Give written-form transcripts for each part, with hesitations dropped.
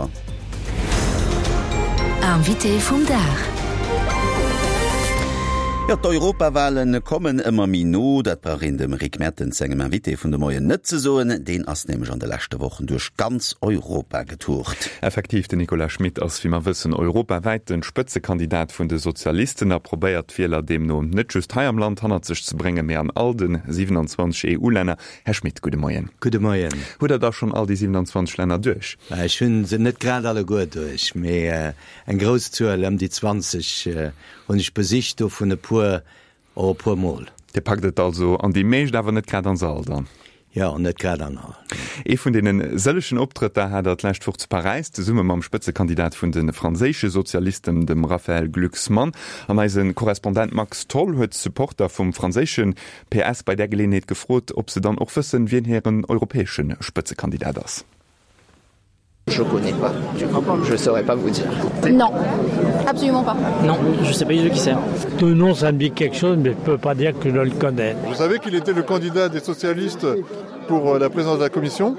awer. Invité vum Dag. Jo, d'Europawale kommen ëmmer méi no. Dat brauch een dem Rick Mertens sengem Invité vun de Moien net ze soen. Deen ass nämlech an de leschte Wochen duerch ganz Europa getourt. Effektiv, den Nicolas Schmit ass, wéi mer wëssen, europawäit de Spëtzekandidat vun de Sozialisten a probéiert d'Wieler deemno net just hei am Land hannert sech ze bréngen, mee an all de 27 EU-Länner. Här Schmit, gudde Moien. Gudde Moien. Hutt Der da schonn all déi 27 Länner duerch? Ech hu se net grad alleguer duerch, mee eng grouss Zuel, ëm déi 20, hunn ech besicht, dovun e puer och e puer Mol. Dir packt et also an déi meescht, awer net grad an se all dann? Jo, net grad an all. Ee vun deene sëllegen Optrëtter hat Der d'lescht Woch zu Paräis, zesumme mam Spëtzekandidat vun de franséische Sozialisten, dem Raphaël Glucksmann. An eise Korrespondent Max Tholl huet d'Supporter vum franséische PS bei där Geleeënheet gefrot, ob se dann och wëssen, wien hiren europäesche Spëtzekandidat ass. Je connais pas du coup, je saurais pas vous dire. Non, absolument pas. Non, je sais pas du tout qui c'est. De nom ça me dit quelque chose mais je peux pas dire que je le connais. Je savais qu'il était le candidat des socialistes pour la présidence de la commission,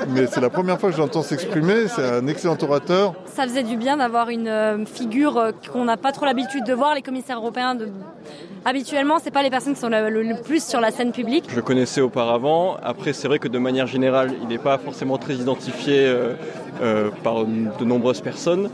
mais c'est la première fois que je l'entends s'exprimer, c'est un excellent orateur. Ça faisait du bien d'avoir une figure qu'on n'a pas trop l'habitude de voir, les commissaires européens de Habituellement, c'est pas les personnes qui sont le, le, le plus sur la scène publique. Je le connaissais auparavant. Après, c'est vrai que de manière générale, il n'est pas forcément très identifié euh, euh, par de nombreuses personnes.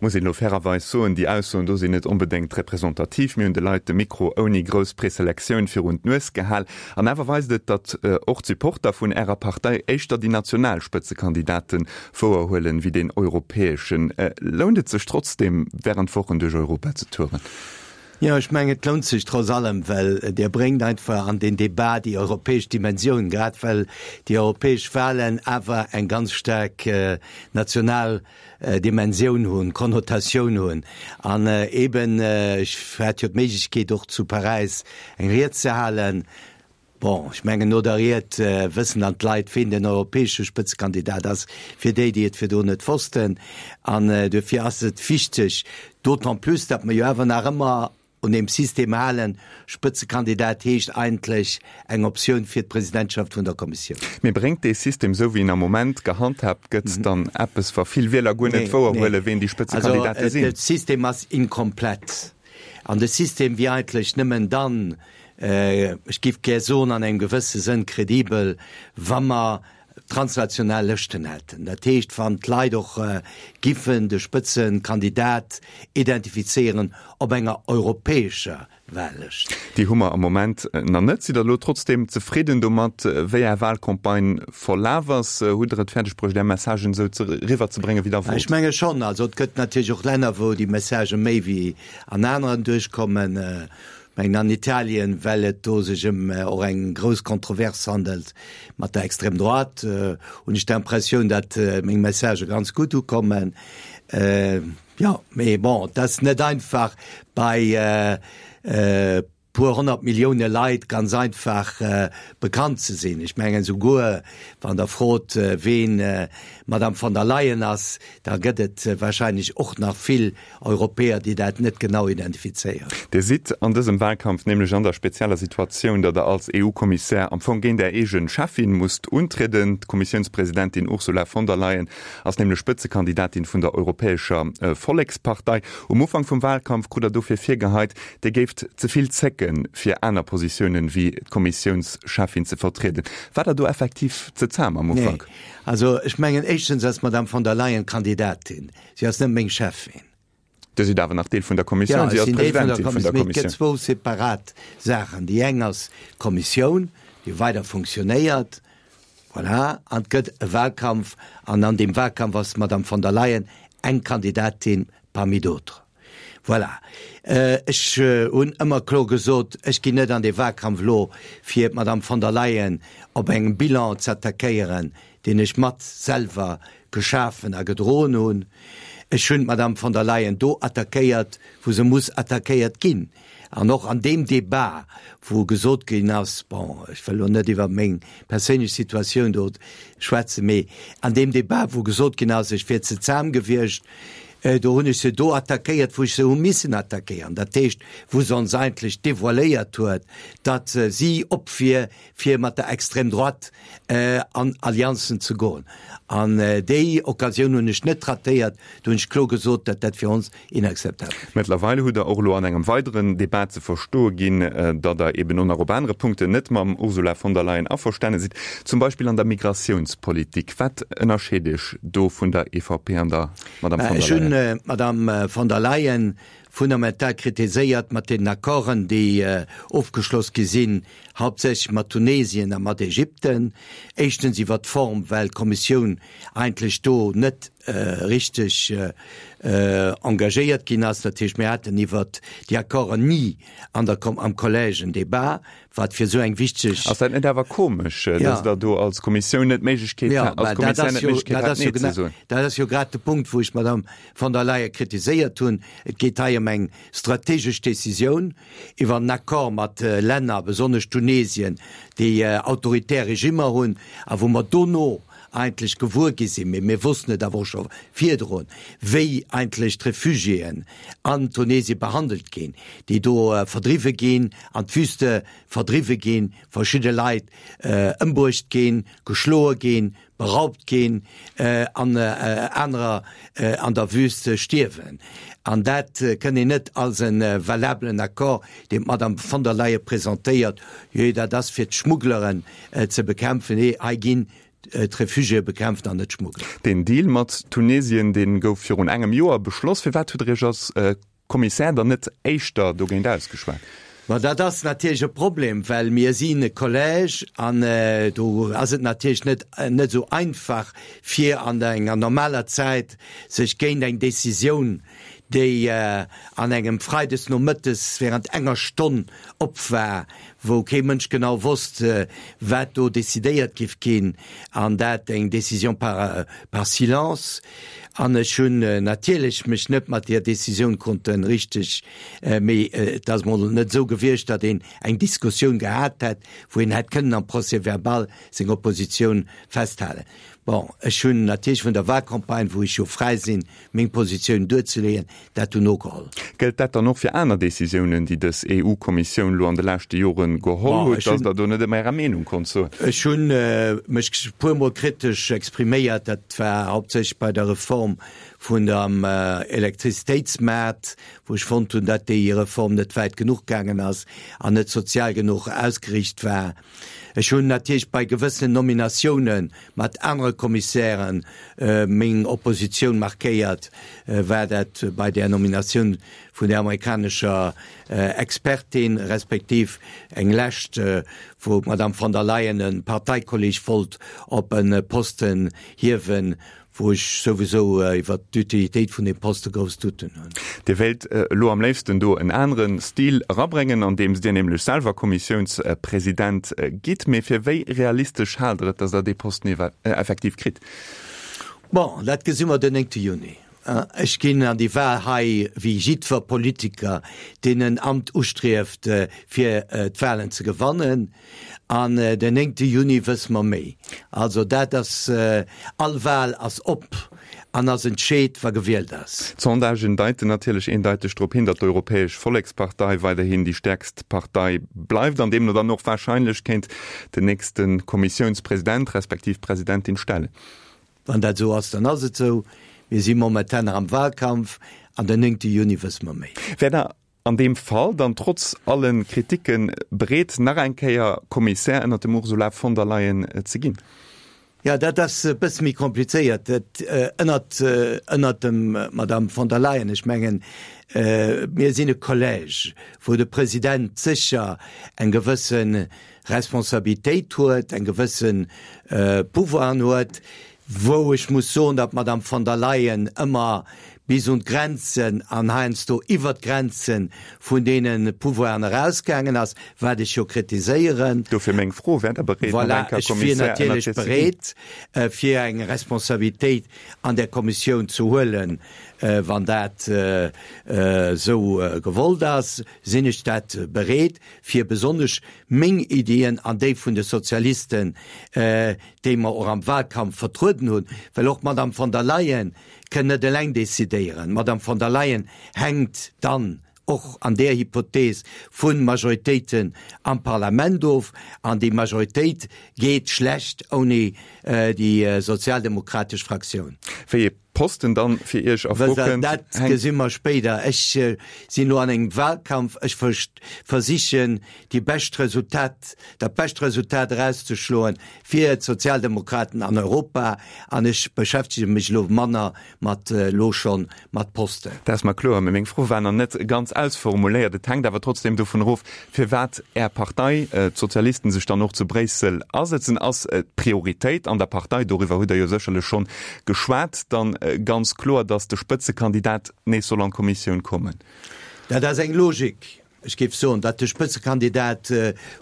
Muss een elo fairerweis soen, déi Aussoen do sinn net onbedéngt representativ. Mir hunn de Leit de Mikro ouni grouss Preselektioun virun d'Nues gehal. An awer weist et, datt och d'Supporter vun Ärer Partei éischter déi national Spëtzekandidate wouerhuelen, wéi deen europäeschen. Lount et sech trotzdeem, wärend Wochen duerch Europa ze touren? Jo, ech mengen, et lount sech trotz allem, well Dir bréngt einfach an deen Débat déi europäesch Dimensioun, grad well déi europäesch Wahlen awer eng ganz staark national Dimensioun hunn, Konnotatioun hunn. An eeben, ech hat jo d'Méiglechkeet och zu Paräis eng Ried ze halen, Bon, ech mengen, no der Ried wëssen dann d'Leit, ween den europäesche Spëtzekandidat ass, fir déi, déi et virdrun net wossten. An duerfir ass et wichteg, d'autant plus, datt mer jo awer nach ëmmer un deem System halen, Spëtzekandidat heescht eigentlech eng Optioun fir d'Presidentschaft vun der Kommissioun. Mee bréngt dee System, esou wéi en am Moment gehandhaabt gëtt, dann eppes, wa vill Wieler guer net wouerhuelen, ween déi Spëtzekandidate sinn? Also, de System ass inkomplett. An de System wier eigentlech nëmmen dann, ech géif gär soen, an engem gewësse Sënn kredibel, wa mer transnational Lëschten hätten. Dat heescht, wann d'Leit och giffen de Spëtzekandidat identifizéieren op enger europäescher Wahllëscht. Déi hu mer am Moment nach net. Sidd Der elo trotzdeem zefridden domat, wéi Är Wahlcampagne verlaf ass? Hutt Der et fäerdeg bruecht, Är Messagen esou eriwwer ze bréngen, wéi Der wollt? Ech menge schonn. Also et gëtt natierlech och Länner, wou déi Messagë méi wéi an aneren duerchkommen. Ech mengen an Italien, well et do sech ëm och eng grouss Kontrovers handelt mat der Extrême droite, hunn ech d'Impressioun, datt meng Messagë ganz gutt ukommen. Jo, mee bon, et ass net einfach bei puer 100 Millioune Leit ganz einfach bekannt ze sinn. Ech mengen esouguer wann Der frot, ween d'Madame von der Leyen ass, da gëtt et wahrscheinlech och nach vill Europäer, déi dat net genau identifizéieren. Dir sidd an dësem Wahlkampf nämlech an der spezieller Situatioun, datt Der als EU-Kommissär am Fong géint Är eege Cheffin musst untrieden. D'Kommissiounspresidentin Ursula von der Leyen ass nämlech Spëtzekandidatin vun der Europäescher Vollekspartei. Um Ufank vum Wahlkampf krut Der dofir virgeheit, Dir géift ze vill zécken, fir aner Positiounen wéi d'Kommissiounscheffin ze vertrieden. War Der do effektiv ze zahm am Ufank? Nee. Also ech mengen, éischtens ass d'Madame von der Leyen Kandidatin, si ass net meng Cheffin. Dir sidd awer nach Deel vun der Kommissioun, si ass Presidentin vun der Kommissioun. Mee et gëtt zwou separat Saachen. Déi eng ass d'Kommissioun, déi weider funktionéiert, voilà, an et gëtt e Wahlkampf, an an deem Wahlkampf ass d'Madame von der Leyen eng Kandidatin parmi d'autres. Voilà. Ech hunn ëmmer kloer gesot, ech ginn net an dee Wahlkampf elo, fir d'Madame von der Leyen op engem Bilan z'attackéieren, deen ech mat selwer geschafen a gedroen hunn. Ech hunn d'Madame von der Leyen do attackéiert, wou se muss attackéiert ginn. An och an deem Débat, wou gesot ginn ass, bon, ech wëll elo net iwwer meng perséinlech Situatioun do schwätzen, mee an deem Débat, wou gesot ginn ass, ech wier ze zahm gewiescht. Do hunn ech se do attackéiert, wou ech se hu missen attackéieren, dat heescht, wou se ons eigentlech devoiléiert huet, datt si op wier, fir mat der Extrême droite an Allianzen ze goen. An déi Occasioun hunn ech net ratéiert, do hunn ech kloer gesot, datt dat fir ons inakzeptabel wier. Mëttlerweil hutt Der och elo an engem weideren Debat ze verstoe ginn, datt Der eben och nach op anere Punkten net mam Ursula von der Leyen averstane sidd, zum Beispill an der Migratiounspolitik. Wat ënnerscheet Iech do vun der EVP an der Madame von der Leyen? Ech hunn d'Madame von der Leyen fundamental kritiséiert mat deenen Accorden, déi ofgeschloss gi sinn, hauptsächlech mat Tunesien a mat Ägypten. Éischtens iwwert d'Form, well d'Kommissioun eigentlech do net richteg engagéiert ginn ass. Dat heescht, mir haten iwwert déi Accorden ni an der, am Collège en Débat, wat fir esou eng wichteg. Ass dat net awer komesch, dass Der do als Kommissioun net d'Méiglechkeet, als Kommissär net d'Méiglechkeet hat, Nee ze soen? Dat ass jo grad de Punkt, wou ech d'Madame von der Leyen kritiséiert hunn. Et geet hei ëm eng strategesch Décisioun iwwer en Accord mat Länner, besonnesch Tunesien, déi autoritär Regimmer hunn a wou mer dono eigentlech gewuer gi sinn, mee mir wossten et awer och scho virdrun, wéi eigentlech d'Refugiéen an Tunesien behandelt ginn, déi do verdriwwe ginn, an d'Wüste verdriwwe ginn, verschidde Leit ëmbruecht ginn, geschloe ginn, beraubt ginn an anerer an der Wüst stierwen. An dat kënn een net als e valabelen Accord, deen d'Madame von der Leyen presentéiert, jee, dat ass fir d'Schmuggleren ze bekämpfen. Nee, hei ginn d'Refugiéë bekämpft an net d'Schmuggler. Deen Deal mat Tunesien, dee gouf virun engem Joer beschloss. Firwat hutt Der Iech als Kommissär dann net éischter dogéint ausgeschwat? Ma dat ass natierlech e Problem, well mir sinn e Collège an do ass et natierlech net net esou einfach, fir an enger normaler Zäit sech géint eng Décisioun, déi an engem Freides nomëttes während enger Stonn op war, wou kee Mënsch genau wosst, wat do decidéiert giff ginn, an dat eng Décision par par silence. An ech hunn natierlech mech net mat deer Décisioun konnte richteg, mee et ass mol net esou gewiescht, datt een eng Diskussioun gehat hätt, wou een hätt kënnen am Procès-verbal seng Oppositioun festhalen. Bon, ech hunn natierlech vun der Wahlcampagne, wou ech jo fräi sinn, meng Positioun duerzeleeën, dat dunn nogeholl. Gëllt dat dann och fir aner Décisiounen, déi dës EU-Kommissioun elo an de leschte Jore geholl huet, datt Der do net ëmmer Ärer Meenung konnt soen? Ech hu mech e puermol kritesch expriméiert. Dat war hauptsächlech bei der Reform vun dem Elektrizitéitsmaart, wou ech fonnt hunn, datt déi Reform net wäit genuch gaangen ass an net sozial genuch ausgeriicht war. Ech hunn natierlech bei gewëssenen Nominatioune mat anere Kommissären meng Oppositioun markéiert, war dat bei där Nominatioun vun där amerikanescher Expertin, respektiv eng lescht, wou d'Madame von der Leyen e Parteikolleg wollt op e Posten hiewen, wou ech souwisou iwwert d'Utilitéit vun deem Poste grouss Douten hunn. Dir wéilt elo am léifsten do en anere Stil erabréngen, andeems Dir nämlech selwer Kommissiounspresident gitt. Mee fir wéi realistesch haalt Der et, datt Der dee Posten effektiv kritt? Bon, dat gesi mer den 9 Juni. Ech ginn an déi Wahl hei wéi jiddwer Politiker, deen en Amt ustrieft, fir d'Wahlen ze gewannen. An den 9 Juni wësse mer méi. Also dat ass, all Wahl ass op an ass entscheet, wa gewielt ass. D'Sondagen deiten natierlech eendeiteg drop hin, datt d'Europäesch Vollekspartei weiderhin déi stäerkst Partei bleift an deemno dann och warscheinlech kéint den nächste Kommissiounspresident respektiv Presidentin stellen. Wann dat esou ass, dann ass et esou. Mir si momentan nach am Wahlkampf an den 9 Juni wësse mer méi. Wär Der an deem Fall dann trotz alle Kriticken bereet, nach eng Kéier Kommissär ënnert dem Ursula von der Leyen ze ginn? Jo, dat ass e bësse méi komplizéiert. Dat ënnert, ënnert dem Madame von der Leyen, ech mengen, mir sinn e Collège, wou de President sécher eng gewësse Responsabilitéit huet, eng gewësse Pouvoiren huet, wou ech muss soen, datt d'Madame von der Leyen ëmmer bis un d'Grenzen an heiansdo iwwert d'Grenze vun deene Pouvoiren erausgaangen ass, wat ech jo kritiséieren. Dofir meng Fro, Wäert Der bereet, nach Voilà, eng Kéier ech wier Kommissär ënnert natierlech hir ze ginn? bereet, fir eng Responsabilitéit an där Kommissioun ze huelen, wann dat esou gewollt ass, sinn ech dat bereet, fir besonnesch meng Iddien an déi vun de Sozialisten, déi mer och am Wahlkampf vertrueden hunn, well och d'Madame von der Leyen. Kënn net eleng decidéieren. D'Madame von der Leyen hänkt dann och an där Hypothees vu Majoritéiten am Parlament of, an déi Majoritéit geet schlecht ouni déi sozialdemokratesch Fraktioun. Wéi ee Posten dann fir Iech a Fro kënnt, Dat gesi mer spéider. Ech sinn elo an engem Wahlkampf. Ech versichen déi bescht Resultat, dat bescht Resultat erauszeschloen fir d'Sozialdemokraten an Europa an ech beschäftege mech elo manner mat elo schonn mat Posten. Dat ass mer kloer, mä meng Fro war nach net ganz ausformuléiert. Et hänkt awer trotzdem dovun erof, firwat Är Partei, d'Sozialisten, sech dann och zu Bréissel asëtzen. Ass d'Prioritéit an der Partei, doriwwer hutt Der jo sécherlech schonn geschwat, dann ganz kloer, datt de Spëtzekandidat nees soll an d'Kommissioun kommen? Dat ass eng Logik. Ech géif soen, datt de Spëtzekandidat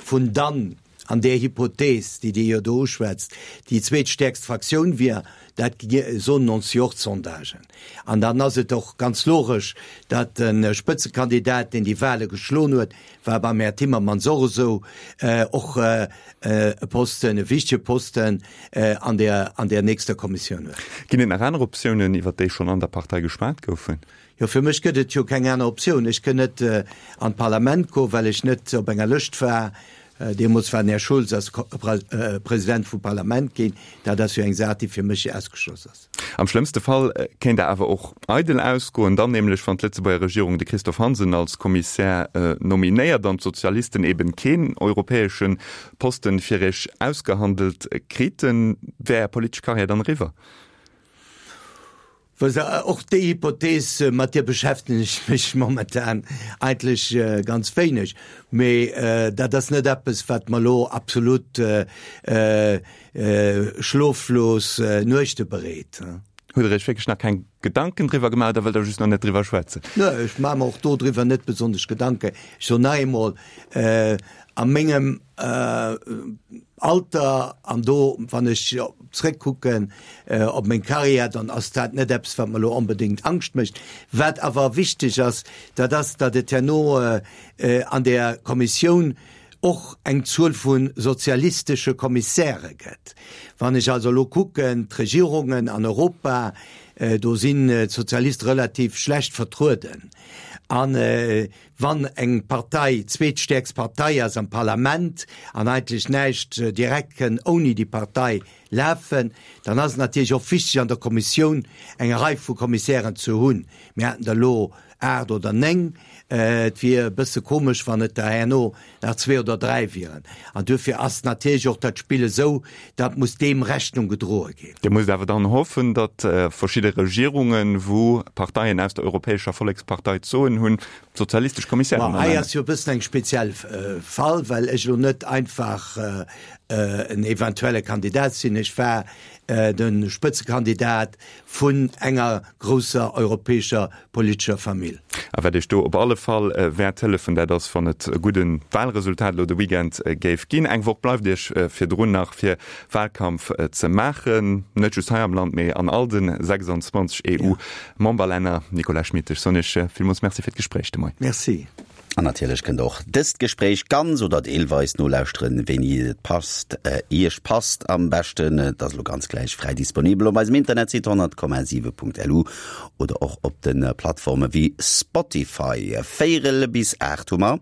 vun dann, an där Hypothees, déi Dir jo do uschwätzt, déi zweetstäerkst Fraktioun wier, dat soen ons jo och d'Sondagen. An dann ass et och ganz logesch, datt de Spëtzekandidat, deen déi Wahle geschloen huet, war beim Här Timmermans och esou, och e Posten, e wichtege Posten an där, an där nächster Kommissioun huet. Ginn et nach aner Optiounen, iwwert déi schonn an der Partei geschwat goufen? Jo, fir mech gëtt et jo keng aner Optioun. Ech kënn net an d'Parlament goen, well ech net op enger Lëscht war. Deemools war den Här Schulz ass President vum Parlament ginn. Dat ass jo eng Saach, déi fir mech ausgeschloss ass. Am schlëmmste Fall kéint Der awer och eidel ausgoen, dann nämlech wann d'Lëtzebuerger Regierung de Christophe Hansen als Kommissär nominéiert an d'Sozialisten eben keen europäesche Posten fir Iech ausgehandelt kriten. Wär Är politesch Karriär dann eriwwer? Och déi Hypothees, mat där beschäftegen ech mech momentan eigentlech ganz wéineg. Mee dat ass net eppes, wat mer elo absolut schloflos Nuechte bereet. Hutt Der Iech wierklech nach keng Gedanken driwwer gemaach oder wëllt Der just nach net driwwer schwätzen? Nö, ech maache mer och dodriwwer net besonnesch Gedanken. Ech soen nach eemol, a mengem Alter an do, wann ech zréckkucken op meng Karriär, dann ass dat net eppes, wat mer elo onbedéngt Angscht mécht. Wat awer wichteg ass, dat ass, datt et herno an där Kommissioun och eng Zuel vu sozialistesche Kommissäre gëtt. Wann ech also elo kucken, d'Regierungen an Europa, do sinn d'Sozialiste relativ schlecht vertrueden. An Wann eng Partei zweetstäerkst Partei ass am Parlament an eigentlech näischt direkt kënn ouni déi Partei lafen, dann ass et natierlech och wichteg an der Kommissioun eng Rei vu Kommissären ze hunn. Mir haten der elo 8 oder 9. Et wier e bësse komesch, wann et der herno nach zwee oder dräi wieren. An duerfir ass natierlech och dat Spill esou, datt muss deem Rechnung gedroe ginn. Dir musst awer dann hoffen, datt verschidde Regierungen, wou Parteien aus der Europäescher Vollekspartei d'Soen hunn, sozialistesch Kommissären ernenne. Ma hei ass jo e bëssen eng speziell Fall, well ech elo net einfach en eventuelle Kandidat sinn. Ech war de Spëtzekandidat vun enger grousser europäescher politescher Famill. A wat Iech do op alle Fall wäert hëllefen, dat ass, wann et e gudde Wahlresultat elo de Weekend géif ginn. Eng Woch bleift Iech virdrun nach, fir Wahlkampf ze maachen, net just hei am Land, mee an all de 26 EU-Memberlänner. Nicolas Schmit, ech soen Iech villmools Merci fir d'Gespréich de Moien. Merci. An natierlech kënnt der och dëst Gespréich ganz oder deelweis nolauschteren, wéini et passt, Iech passt am beschten. Et ass elo ganz gläich fräi disponibel op eisem Internetsite 100,7.lu oder och op de Plattforme wéi Spotify. Véierel bis 8 hu mer.